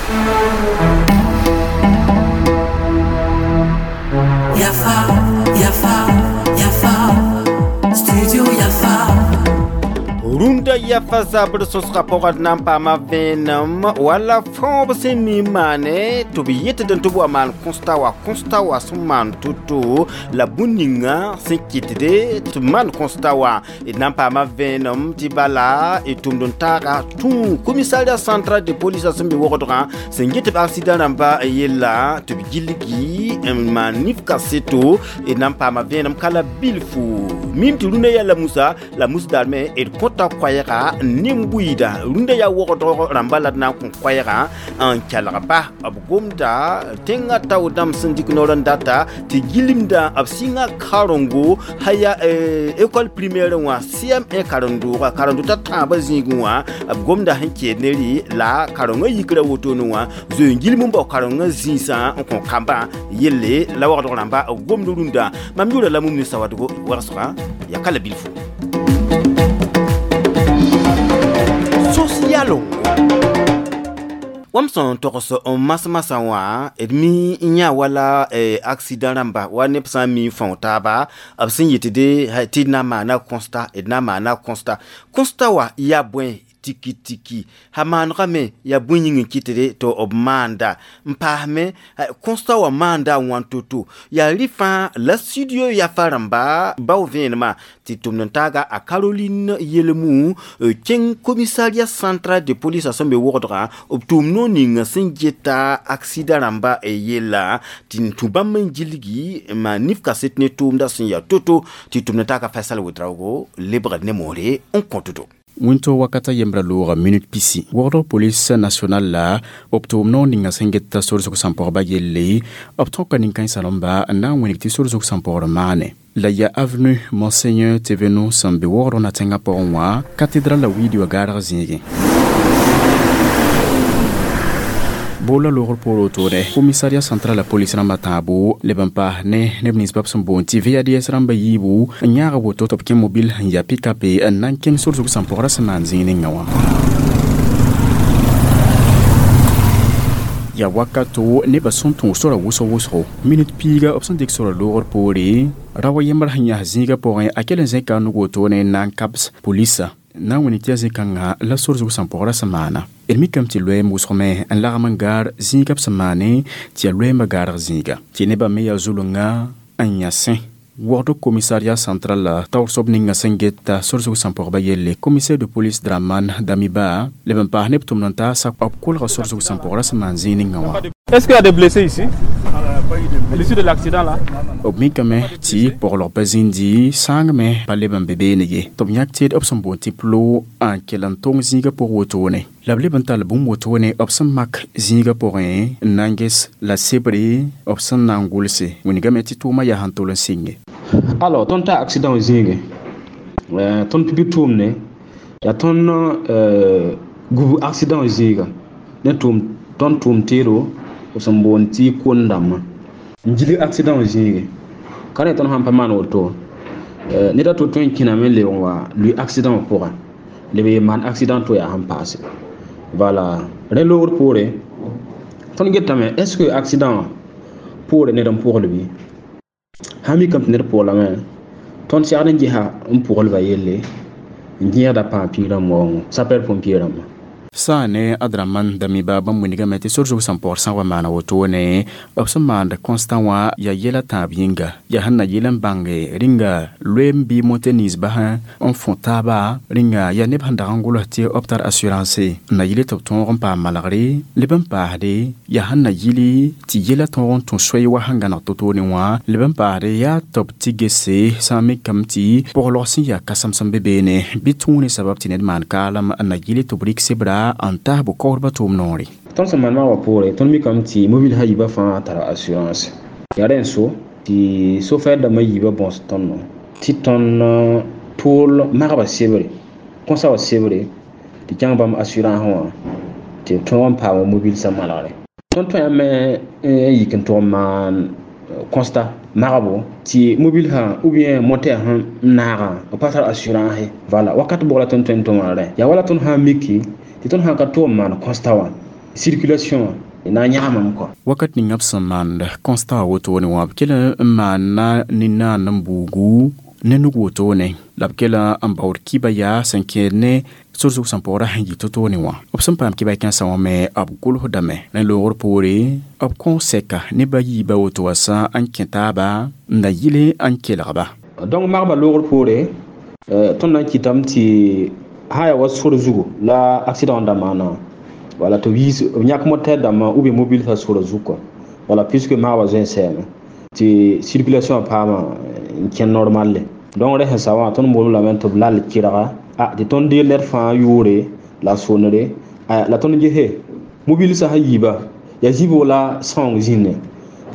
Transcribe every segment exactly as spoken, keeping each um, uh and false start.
Yafa, Yafa, Yafa, Studio Yafa. Rũndã yafa zabr sõsgã pʋgd na n paama vẽenem wala fõob sẽn mi n maane tɩ b yetd tɩ b wa maan constat wa constat wa sẽn maan to-to la bũn ninga sẽn kɩtde tɩ b maan constat wã d na n paama vẽenem tɩ bala d tʋmd n taaga tũ commissariat central de police sẽn be wogdgã sẽn get b accident rãmba yella tɩ b gilgi n maan nif kaseto d na n paama vẽenem ka la bilfu mim tɩ rũndã yaa la musa la mus daarme d kõta koɛɛga nin-buiida rũndã yaa wogdg rãmba la d na n kõ koɛɛgã n kelg ba b gomda tẽngã tao dãmb sẽn dɩk noor n data tɩ gilimdã b sɩngã karengo sã yaa école primaire wã C M un karen-doogã karen-dotã tãabã zĩigẽ wã b gomda sẽn keel ne rɩ la karengã yikra wotone wã zoe n gilm n bao karengã zĩisã n kõ kambã yelle la wogdg rãmba b gomd rũndã mam yʋʋra la mum ne sawadgo wegsgã yaa ka la bilfu social wam sẽn togs n mas-masã wã d mi n yã wala accident rãmba wa neb sã n mi n fão taaba b sẽn yetde tɩ d na n maana constat d na n maana constat constat wa yaa bõe tiki tiki ha maanegame yaa bũn yĩng n kɩtde tɩ b maanda n paasme constat wã maanda a wãn to-to yaa rɩ fãa la studio yafa rãmba bao vẽenemã tɩ tʋmd n taaga a Caroline Yelmou kẽng commissariat central de police sẽn be wogdgã b tʋʋm noor ninga sẽn geta accident rãmba yella tɩ n tũ bãmb n gilgi n maan nif kaset ne tʋʋmda sẽn yaa to-to tɩ tʋmd n taaga Faisal Ouedraogo lebgd ne moore n kõtdo Wẽnto wakata yembra looga minute pisi wogdg police nationale la b tʋʋm noor ninga sẽn geta sor zug sãn-pɔgba yelle b tõka nin-kãensã rãmba n na n wẽneg tɩ sor zug sãn-pɔgr maane la yaa avenue Monseigneur Thévenoud sẽn be wogdg na tẽngã pʋgẽ wã cathédrale la wiidi wa gaarg zĩigẽ boola loogr poor wotone commissariat central la police rãmbã tãabo leb n paas ne neb nins bab sẽn boond tɩ V A D S rãmbã yiibu n yãaga woto tɩ b kẽ mobile n yaa pick-up n na n kẽng sor zug sãn-pɔgrã sẽn maan zĩig ninga wã yaa wakato nebã sẽn tõog sora wʋsg wʋsgo minit piiga b sẽn dɩk sora loogr poore ra wa yembr sẽn yãs zĩigã pʋgẽ a kell n zẽka a nug wotone n na n kabs polisa na n wẽneg tɩ yaa zĩ-kãngã la sor zug sãn-pɔgrã sẽn maana d mikame tɩ loɛɛm wʋsgme n lagm n gaar zĩigã b sẽn maane tɩ yaa loɛɛmbã gaarg zĩiga tɩ nebã me yaa zulungã n yã sẽ wogd commissariat central la taoor soab ninga sẽn geta sor zug sãn-pɔgba yelle commissaire de police Draman Damiba leb n paas neb tʋmd n taasa b kolga sor zug sãn-pɔgrã sẽn maan zĩig ninga wã. Est-ce qu'il y a des blessés ici? À l'issue de l'accident là? B mikame tɩ poglg pa zĩndi sãangme pa leb n be beene ye tɩ b yãk teed b sẽn boond tɩ plo n kell n tong zĩigã pʋg wotone la b leb n tall bũmb wotone b sẽn mak zĩigã pʋgẽ n na n ges la sebre b sẽn na n gʋlse wĩnigame tɩ tʋʋmã yaa sẽn tol n sɩnge. Alors tõnd taa accident wã zĩige tõnd pipi tʋʋmne yaa tõnd gub accident wã zĩiga ne tʋʋm tõnd tʋʋm teedo b sẽn boond tɩ kon dãmbã n gilg accident wã zĩige ka rẽ tõnd sãn pa maan woto ned a to tõe n kẽname n lebg n wa lʋɩ accident wã pʋgã leb n maan accident to yaa sẽn paase voilà rẽ loogr poore tõnd getame est ce que accident wã poore ned n pʋgl bɩ sã mikame tɩ ned pʋglame tõnd segd n gesa n pʋglba yelle n gẽegda pãag piig rãmb waoongo sapeur pompier rãmbã. Sã ne Adraman Damiba bãmb wĩnigame tɩ sor zug sãn-pɔgr sã n wa maana wotone b sẽn maand constat wã yaa yɛla tãab yĩnga yaa sẽn na yɩl n bãnge rĩnga loeem bɩ mote nins basẽ n fõ taaba rĩnga yaa neb sẽn dag n gʋls tɩ b tar assurance n na yɩl tɩ b tõog n paam malgre leb n paasde yaa sẽn na yɩl tɩ yɛla tõog n tũ soy wa sẽn gãneg to-toone wã leb n paasde yaa tɩ b tɩ gese sã n mikame tɩ poglg sẽn yaa kãsem sẽn be beene bɩ tũu ne sabab tɩ ned maan kaalem n na yɩl tɩ b rɩk sebra n taas b kaoodbã tʋʋm noore. Tõnd sẽn maan maa wã poore tõnd mikame tɩ mobile sã yiibã fãa tara assurance yaa rẽ n so tɩ sofɛr dãmbã yiibã bõs tõndo tɩ tõnd tʋʋl magba sebre kõsa wã sebre tɩ kẽng bãmb assurance wã tɩ b tõog n paam mobile sã malgre tõnd tõe n yik n tʋg n maan constat magbo tɩ mobile sã ou bien moteur sẽn naagã b pa tar assurance voilà wakat bʋg la tõnd tõe n tʋm rẽ yaa wala tõnd sã n miki tɩ tõnd sã n ka tʋg n maan constat wã Circulation na yãgamame kɔ. Wakat ninga b sẽn maand constat wotone wã, b kell n maana nin-naand n buugu ne nug wotone, la b kell n baood kiba yaa sẽn kẽed ne sor zug sẽn paoora sẽn yɩ to-toone wã. B sẽn paam kiba kẽnsã wã me, b gʋlsdame. Rẽ loogr poore, b kõ sɛka ne ba yiiba woto wã sã n kẽ taaba n da yɩle n kelgba. Donc magba loogr poore, tõnd na n kɩtame tɩ sã yaa wa sor zugu la accident da maana, voilà, tɩ b yiis b yãk moteur dãmbã ou bien mobile sã sora zug kɔ, voilà, puisque maagba zoe n sɛɛme tɩ circulation paama n kẽn normal le. Donc rẽ sẽn sa wã, tõnd boolem lame tɩ b lal kɩrga a tɩ tõnd deeg ned fãa yʋʋre la sonere, la tõnd gese mobile sã sã yiiba yaa zĩbg la sãoong zĩnne,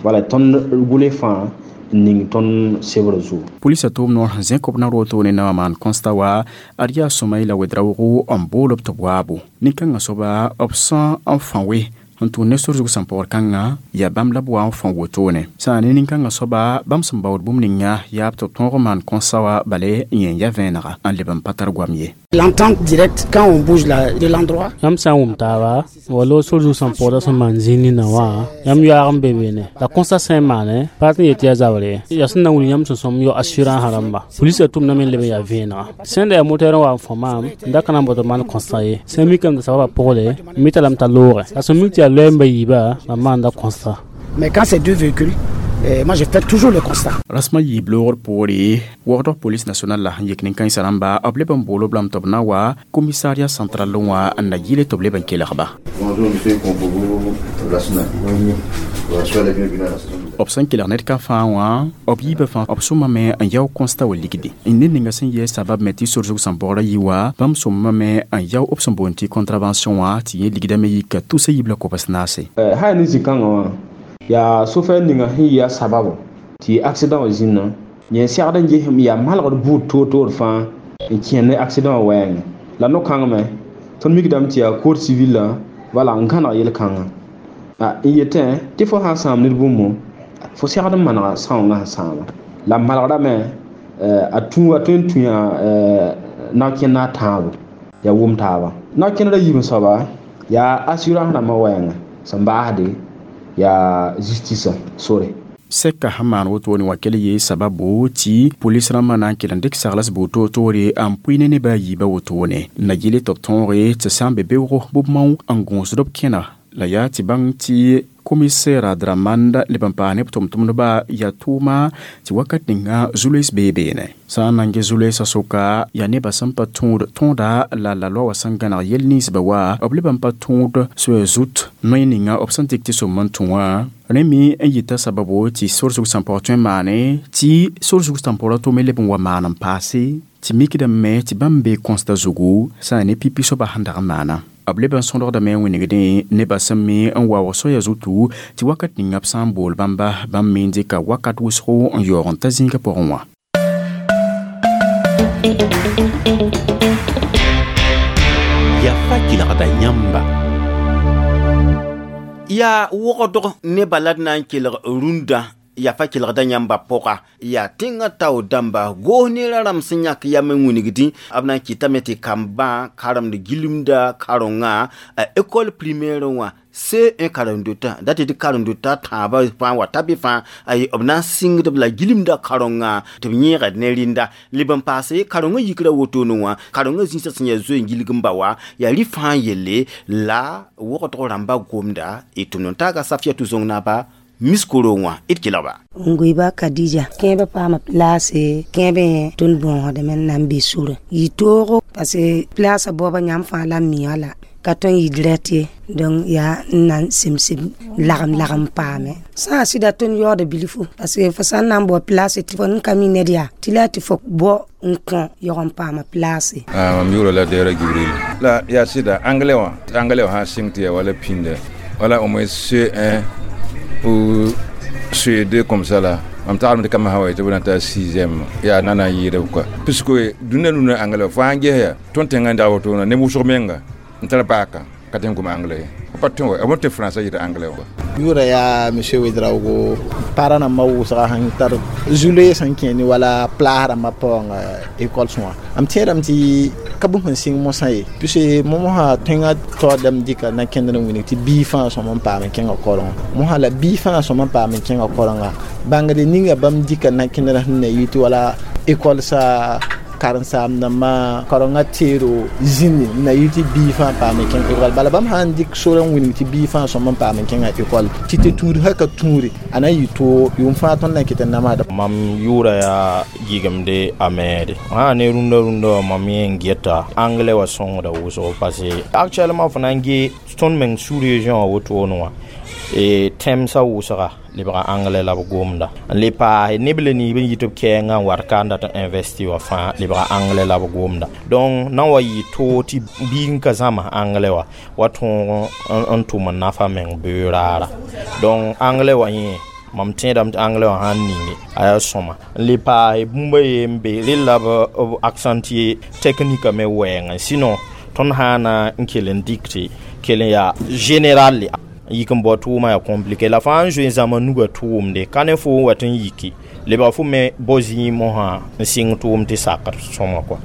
voilà, tõnd gʋls fãa n ning tõnd sebr zugu. Polisa tʋʋm noor sẽn zẽ kobna rootone na wã maan constat wa ad yaa Sõmaila Wedraoogo n bool b tɩ b waabo. Nin-kãngã soaba, b sã n fã we n tʋʋn ne sor zug sẽn paood kãngã, yaa bãmb la b wa n fõ wotone. Sã ne nin-kãngã soaba, bãmb sẽn baood bũmb ninga yaa b tɩ b tõog n maan constat wã bale n yẽ ya vẽenega n leb n pa tar goam ye. L'entente directe, quand on bouge la, de l'endroit. Yãmb sã n wʋm taaba wala sor zug sẽn paooda sẽn maan zĩig nina wã, yãmb yoaag n be beene la constat sã n maane pa tɩ n yet yaa zabre ye, yaa sẽn na n wilg yãmb sẽn sõm yo assurance rãmba. Polisã tʋmdame n leb n yaa vẽenega. Sẽn da yaa moteur n wa n fõ maam n da ka na n bao tɩ b maan constat ye, sẽn mikame tɩ sababã pʋgle n mita lame t'a loogɛ, la sẽn mik tɩ yaa loɛɛ n ba yiiba, mam maanda constat. Mais quand c'est deux véhicules, eh, moi je fais toujours le constat. Rasmã yiib loogr poore, wagdg police nationale la sẽn yik nin-kãensã rãmba, b leb n bool b lame tɩ b na wa commissariat central wã n na yɩle tɩ b leb n kelgba. Bonjour, monsieur Kompogo Lassina. Voilà, soyez les bienvenus à la station. B sẽn kelg ned ka fãa wã, b yiibã fãa b sõmame n yao constat wa ligdi. Ned ninga sẽn yɛɛ sabab me tɩ sor zug sẽn baooda yi wa, bãmb sõmame n yao b sẽn boond tɩ contravention wã, tɩ yẽ ligdame yika tusa yiib la kobs naase. Sã yaa ne zĩ-kãngã wã, yaa sofɛr ninga sẽn yɩ a sababo tɩ accident wã zĩnnã, yẽ segd n ges yaa malgd buud toor-toor fãa n kẽer ne accident wã wɛɛngẽ. La no-kãngame, tõnd mikdame tɩ yaa code civil la, wala n gãneg yel-kãngã n yetẽ tɩ fo sã n sãam ned bũmb, fo segd n manega sãoongã sẽn sãama. La malgrame a tũ a tõe n tũ yaa nao-kẽnd a tãabo yaa wʋm taaba. Nao-kẽndrã yiib soaba yaa assurance rãmbã wɛɛngã sẽn baasde yaa justice sore. Sɛka sẽn maan wotone wã kell yee sababo tɩ polis rãmbã na n kell n dɩk sagls bʋʋd toor-toore n pʋɩ ne neba a yiibã wotone na yɩle tɩ b tõoge tɩ sã n be beoogo bʋ mao n gõosd b kẽna la yaa tɩ bãng tɩ commissaire Dramanda leb n paas ne b tʋm-tʋmdba yaa tʋʋma tɩ wakat ninga zu-loees bee beene. Sã n na n ges zu-loeesã sʋka, yaa nebã sẽn pa tõod tõoda la la loa wã sẽn gãneg yel ninsbã wa, b leb n pa tõod soa zut noe ninga b sẽn dɩk tɩ sõm n tũ wã. Rẽ me n yita sababo tɩ sor zug sẽn paoog tõe n maane tɩ sor zug sẽn paoora tʋ me leb n wa maan n paase tɩ mikdame tɩ bãmb bee constat zugu sã n ne pipi soaba sẽn dag n maana. B leb n sõdgdame n wĩnigdẽ nebã sẽn me n waoog soaya zutu tɩ wakat ninga b sã n bool bãmba, bãmb me n dɩka wakat wʋsgo n yaoog n ta zĩigã pʋgẽ wã. Yafa kelgda yãmba. Yaa wogdg nebã la d na n kelg rũndã yafa kelgda yãmba pʋga, yaa tẽngã tao dãmba goos neerã rãmb sẽn yãk yam n wĩnigdẽ, b na n kɩtame tɩ kambã karemd gilmda karengã a école primaire wã C un karen-dotã dat tɩ karen-dotã tãabã fãa wa ta bɩ fãa ay b na n sɩngdb la gilmda karengã tɩ b yẽegd ne rẽnda. Leb n paase karengã yikra wotone wã, karengã zĩisã sẽn yaa zoe n gilg n ba wa yaa rɩ fãa yelle la wogdg rãmba gomda y tʋmd n taaga Safiatou Zong naaba miskoro wã d kelgba. N goiba Kadija kẽebã paama place kẽebẽ tõnd bõosdame n na n be sora yɩ toogo parce que place baoobã yãmb fãa la n miã la ka tõe n yɩ direct ye, donc yaa n na n semsem lagem lagem paame sã n sɩda tõnd yaooda bilfu parce que fo sã n na n bao place tɩ fo n ka mi ned yaa tɩ la tɩ fo bao n kõ yaoog n paama place. Mam yʋʋra la Dɛɛra Gibril la yaa sɩda anglais wã, anglais wã sã n sɩng tɩ yaa wala pĩnda wala au moins C un ou C deux comme ça là. Mam taglem tɩ kambã sã wa tɩ b na ta sixième yaa na na n yɩɩda quoi, puisque dũniyã nuna anglais fãa n ges yaa tõnd tẽngã n dag wotona neb wʋsg menga n tar baaka ka tɩ n gom anglais. Pa tõe wa b tɩ français yɩta anglais wa. Yʋʋra yaa monsieur Ouedraogo para rãmbã wʋsga sẽn tar zu-loees sẽn kẽ ne wala plaas rãmbã paoong école sõa m tẽedame tɩ ka bũmb sẽn sɩng mosã ye puisque mosã tõengã taoodame dɩka na kẽndr n wilg tɩ bii fãa sõm n paam n kẽnga korengã mosã la bii fãa sõm n paam n kẽnga korenga bãngre ninga bãmb dɩka na kẽndr sẽn na yɩ tɩ wala école sa karen-saamdãmbã karengã teero zĩndi n na yɩ tɩ bii fãa paam n kẽng école bala bãmb sã n dɩk sor n wilg tɩ bii fãa sõm n paam n kẽngã école tɩ tɩ tũud sã ka tũure a na n yɩ toog yʋʋm fãa tõnd na n kɩt n namsda. Mam yʋʋra yaa gɩgemde a mɛɛde sã ne rũndã rũndã wã mam yẽ n geta anglais wã sõngda wʋsgo parce que actuellement fo na n ge tõnd meng sous-région wã wotone wã e tẽmsã wʋsga lebga anglais la b gomda n le paase neb le niib n yit b kɛɛngã n wat ka n dat n investi wã fãa lebga anglais la b gomda donc na n wa yɩ toog tɩ biig n ka zãms anglais wã wa tõog n tʋm n nafa meng beoog raara donc anglais wã yẽ mam tẽedame tɩ anglais wã sãn ninge a yaa sõma n le paase bũmba ye n be rel la b accentuer technique me wɛɛngã sinon tõnd sã na n kell n dɩk tɩ kell n yaa général yik n bao tʋʋmã yaa compliqué la fãa n zoe zãma nuga tʋʋmde ka ne fo n wa tɩ n yiki lebg fo me bao zĩig mosã n sɩng tʋʋm tɩ sakd sõma kɔa.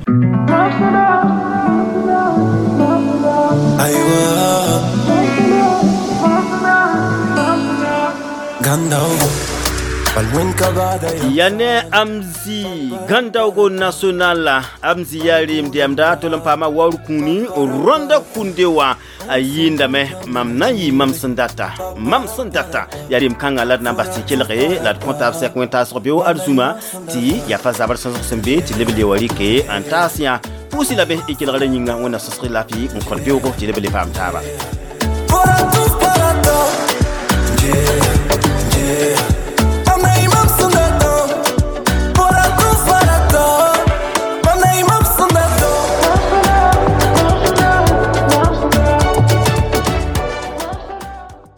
Yane Amzi Gandaogo National Amzi yarim di amda tolon pama waru kuni ronda kundewa a yindame mam na yi mam sendata mam sendata yarim kanga lad na basi kelre lad comptable sekwenta sorbio arzuma ti ya fa zabar sanso sembe ti lebele wari ke antasia pusi labe ikelre nyinga wona sosri lafi on kolbio ko ti lebele pam taba.